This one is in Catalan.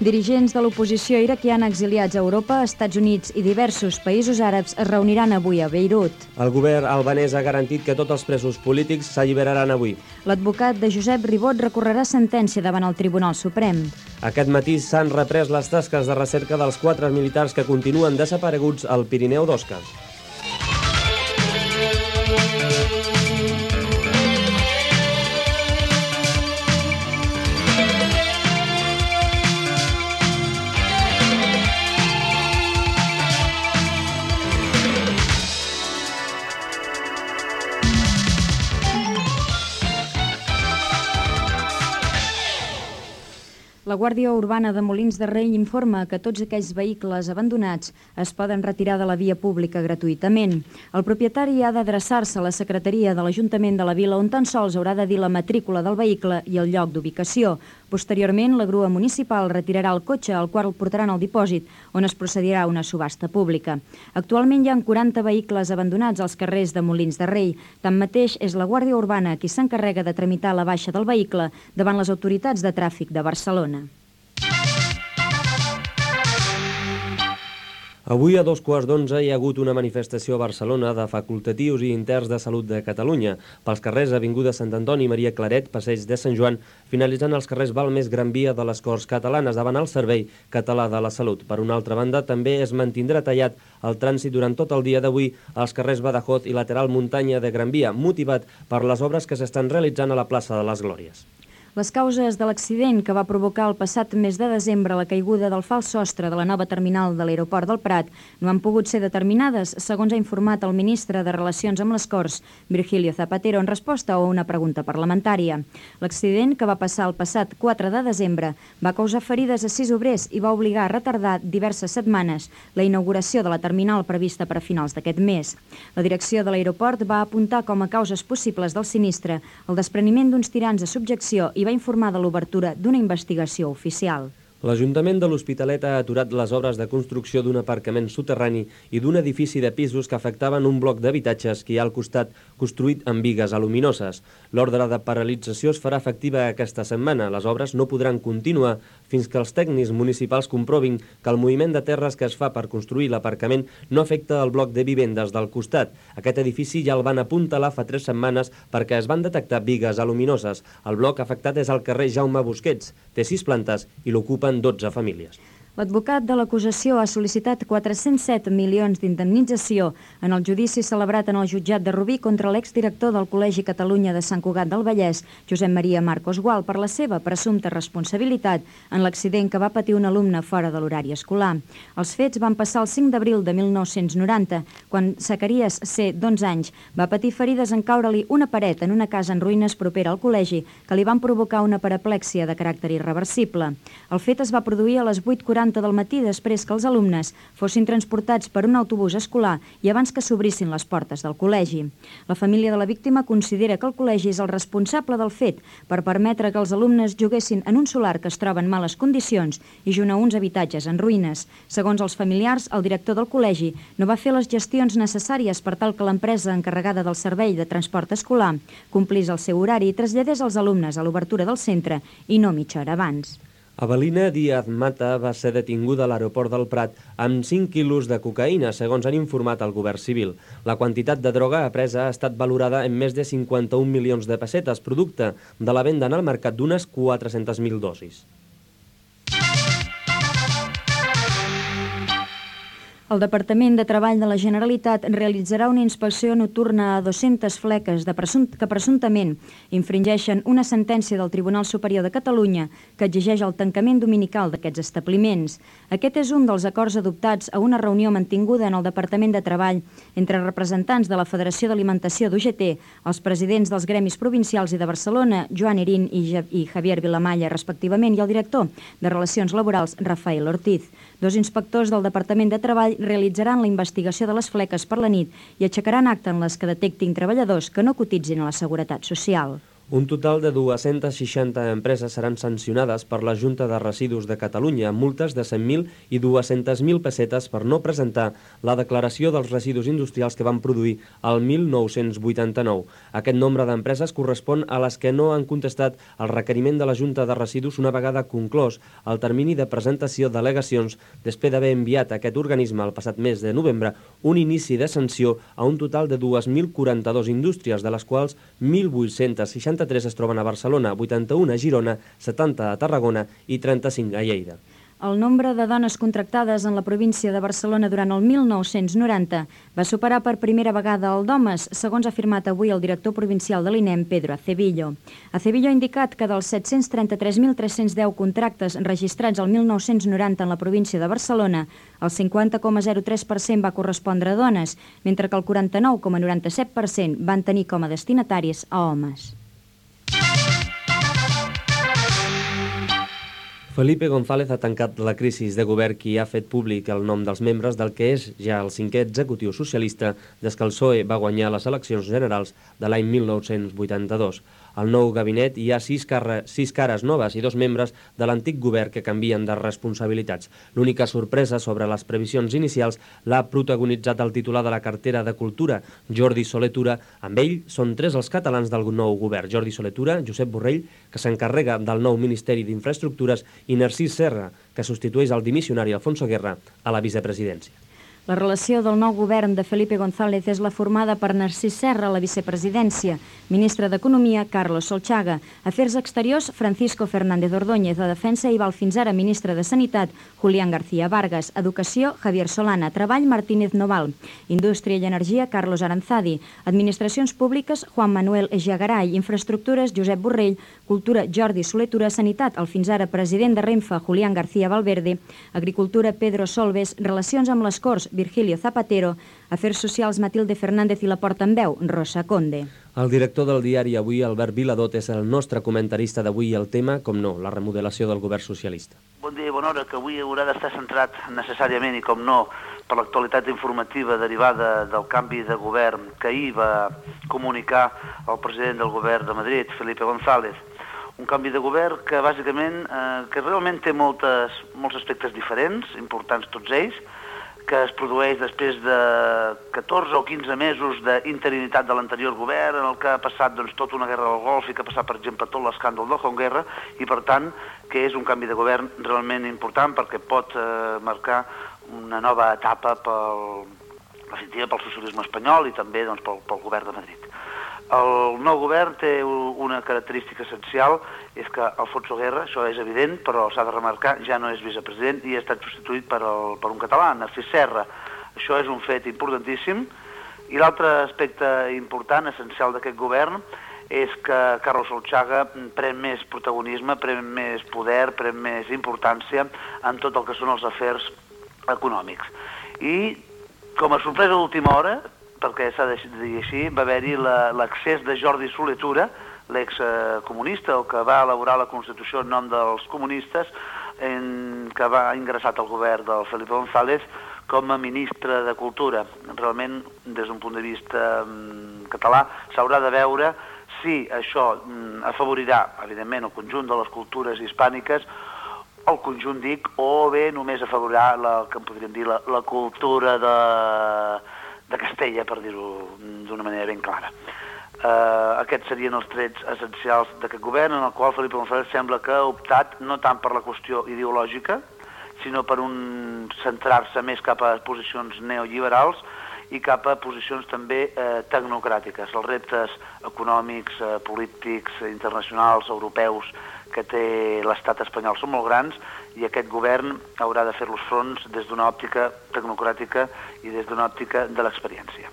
Dirigents de l'oposició iraquiana exiliats a Europa, Estats Units i diversos països àrabs es reuniran avui a Beirut. El govern albanès ha garantit que tots els presos polítics s'alliberaran avui. L'advocat de Josep Ribot recorrerà sentència davant el Tribunal Suprem. Aquest matí s'han reprès les tasques de recerca dels 4 militars que continuen desapareguts al Pirineu d'Osca. La Guàrdia Urbana de Molins de Rei informa que tots aquells vehicles abandonats es poden retirar de la via pública gratuïtament. El propietari ha d'adreçar-se a la secretaria de l'Ajuntament de la Vila, on tan sols haurà de dir la matrícula del vehicle i el lloc d'ubicació. Posteriorment, la grua municipal retirarà el cotxe, al qual el portaran al dipòsit, on es procedirà a una subhasta pública. Actualment hi ha 40 vehicles abandonats als carrers de Molins de Rei. Tanmateix, és la Guàrdia Urbana qui s'encarrega de tramitar la baixa del vehicle davant les autoritats de tràfic de Barcelona. Avui a 11:15 hi ha hagut una manifestació a Barcelona de facultatius i interns de Salut de Catalunya. Pels carrers Avinguda Sant Antoni, Maria Claret, Passeig de Sant Joan, finalitzant els carrers Balmes, Gran Via de les Corts Catalanes davant el Servei Català de la Salut. Per una altra banda, també es mantindrà tallat el trànsit durant tot el dia d'avui als carrers Badajoz i lateral Muntanya de Gran Via, motivat per les obres que s'estan realitzant a la plaça de les Glòries. Les causes de l'accident que va provocar el passat mes de desembre la caiguda del fals sostre de la nova terminal de l'aeroport del Prat no han pogut ser determinades, segons ha informat el ministre de Relacions amb les Corts, Virgilio Zapatero, en resposta a una pregunta parlamentària. L'accident, que va passar el passat 4 de desembre, va causar ferides a 6 obrers i va obligar a retardar diverses setmanes la inauguració de la terminal prevista per a finals d'aquest mes. La direcció de l'aeroport va apuntar com a causes possibles del sinistre el despreniment d'uns tirants a subjecció i va informar de l'obertura d'una investigació oficial. L'Ajuntament de l'Hospitalet ha aturat les obres de construcció d'un aparcament soterrani i d'un edifici de pisos que afectaven un bloc d'habitatges que hi ha al costat construït amb bigues aluminoses. L'ordre de paralització es farà efectiva aquesta setmana. Les obres no podran continuar fins que els tècnics municipals comprovin que el moviment de terres que es fa per construir l'aparcament no afecta el bloc de vivendes del costat. Aquest edifici ja el van apuntalar fa 3 setmanes perquè es van detectar bigues aluminoses. El bloc afectat és al carrer Jaume Busquets. Té 6 plantes i l'ocupen 12 famílies. L'advocat de l'acusació ha sol·licitat 407 milions d'indemnització en el judici celebrat en el jutjat de Rubí contra l'exdirector del Col·legi Catalunya de Sant Cugat del Vallès, Josep Maria Marcos Gual, per la seva presumpta responsabilitat en l'accident que va patir un alumne fora de l'horari escolar. Els fets van passar el 5 d'abril de 1990, quan Zacarías C., d'11 anys, va patir ferides en caure-li una paret en una casa en ruïnes propera al col·legi que li van provocar una paraplèxia de caràcter irreversible. El fet es va produir a les 8:40 del matí després que els alumnes fossin transportats per un autobús escolar i abans que s'obrissin les portes del col·legi. La família de la víctima considera que el col·legi és el responsable del fet per permetre que els alumnes juguessin en un solar que es troba en males condicions i junt a uns habitatges en ruïnes. Segons els familiars, el director del col·legi no va fer les gestions necessàries per tal que l'empresa encarregada del servei de transport escolar complís el seu horari i traslladés els alumnes a l'obertura del centre i no mitja hora abans. Avelina Díaz Mata va ser detinguda a l'aeroport del Prat amb 5 quilos de cocaïna, segons han informat el govern civil. La quantitat de droga apresa ha estat valorada en més de 51 milions de pessetes, producte de la venda en el mercat d'unes 400.000 dosis. El Departament de Treball de la Generalitat realitzarà una inspecció nocturna a 200 fleques que presumptament infringeixen una sentència del Tribunal Superior de Catalunya que exigeix el tancament dominical d'aquests establiments. Aquest és un dels acords adoptats a una reunió mantinguda en el Departament de Treball entre representants de la Federació d'Alimentació d'UGT, els presidents dels gremis provincials i de Barcelona, Joan Irín i Javier Vilamalla, respectivament, i el director de Relacions Laborals, Rafael Ortiz. 2 inspectors del Departament de Treball realitzaran la investigació de les fleques per la nit i aixecaran acta en les que detectin treballadors que no cotitzin a la Seguretat Social. Un total de 260 empreses seran sancionades per la Junta de Residus de Catalunya amb multes de 100.000 i 200.000 pessetes per no presentar la declaració dels residus industrials que van produir el 1989. Aquest nombre d'empreses correspon a les que no han contestat el requeriment de la Junta de Residus una vegada conclòs el termini de presentació d'al·legacions després d'haver enviat a aquest organisme el passat mes de novembre un inici de sanció a un total de 2.042 indústries, de les quals 1.863 es troben a Barcelona, 81 a Girona, 70 a Tarragona i 35 a Lleida. El nombre de dones contractades en la província de Barcelona durant el 1990 va superar per primera vegada el d'homes, segons ha afirmat avui el director provincial de l'INEM, Pedro Acevillo. Acevillo ha indicat que dels 733.310 contractes registrats el 1990 en la província de Barcelona, el 50,03% va correspondre a dones, mentre que el 49,97% van tenir com a destinataris a homes. Felipe González ha tancat la crisi de govern i ha fet públic el nom dels membres del que és ja el 5è executiu socialista des que el PSOE va guanyar les eleccions generals de l'any 1982. Al nou gabinet hi ha 6 cares noves i 2 membres de l'antic govern que canvien de responsabilitats. L'única sorpresa sobre les previsions inicials l'ha protagonitzat el titular de la cartera de Cultura, Jordi Soler Tura. Amb ell són 3 els catalans del nou govern: Jordi Soler Tura, Josep Borrell, que s'encarrega del nou Ministeri d'Infraestructures, i Narcís Serra, que substitueix el dimissionari Alfonso Guerra a la vicepresidència. La relació del nou govern de Felipe González és la formada per Narcís Serra a la vicepresidència, ministre d'Economia, Carlos Solchaga, Afers Exteriors, Francisco Fernández Ordóñez, de Defensa i val fins ara ministre de Sanitat, Julián García Vargas, Educació, Javier Solana, Treball, Martínez Noval, Indústria i Energia, Carlos Aranzadi, Administracions Públiques, Juan Manuel Echegaray, Infraestructures, Josep Borrell, Cultura, Jordi Soler Tura, Sanitat, el fins ara president de Renfe, Julián García Valverde, Agricultura, Pedro Solbes, Relacions amb les Corts, Virgilio Zapatero, Afers Socials, Matilde Fernández i la portaveu, Rosa Conde. El director del diari Avui, Albert Viladot, és el nostre comentarista d'avui. El tema, com no, la remodelació del govern socialista. Bon dia i bona hora, que avui haurà d'estar centrat necessàriament i com no per l'actualitat informativa derivada del canvi de govern que ahir va comunicar el president del govern de Madrid, Felipe González. Un canvi de govern que bàsicament, que realment té molts aspectes diferents, importants tots ells, que es produeix després de 14 o 15 mesos d'interinitat de l'anterior govern, en el que ha passat tota una guerra del Golf i que ha passat, per exemple, tot l'escàndol de Hong Guerra, i per tant que és un canvi de govern realment important perquè pot marcar una nova etapa pel socialisme espanyol i també pel govern de Madrid. El nou govern té una característica essencial, és que Alfonso Guerra, això és evident, però s'ha de remarcar, ja no és vicepresident i ha estat substituït per un català, Narcís Serra. Això és un fet importantíssim. I l'altre aspecte important, essencial d'aquest govern, és que Carlos Solchaga pren més protagonisme, pren més poder, pren més importància en tot el que són els afers econòmics. I com a sorpresa d'última hora, perquè s'ha de dir així, va haver-hi l'accés de Jordi Soler Tura, l'excomunista, o que va elaborar la Constitució en nom dels comunistes, que va ingressat al govern del Felipe González com a ministre de Cultura. Realment, des d'un punt de vista català, s'haurà de veure si això afavorirà, evidentment, el conjunt de les cultures hispàniques, el conjunt, dic, o bé només afavorirà el que en podríem dir la cultura de Castella, per dir-ho d'una manera ben clara. Aquests serien els trets essencials d'aquest govern, en el qual Felipe González sembla que ha optat no tant per la qüestió ideològica, sinó per centrar-se més cap a posicions neoliberals i cap a posicions també tecnocràtiques. Els reptes econòmics, polítics, internacionals, europeus que té l'estat espanyol són molt grans i aquest govern haurà de fer-los fronts des d'una òptica tecnocràtica i des d'una òptica de l'experiència.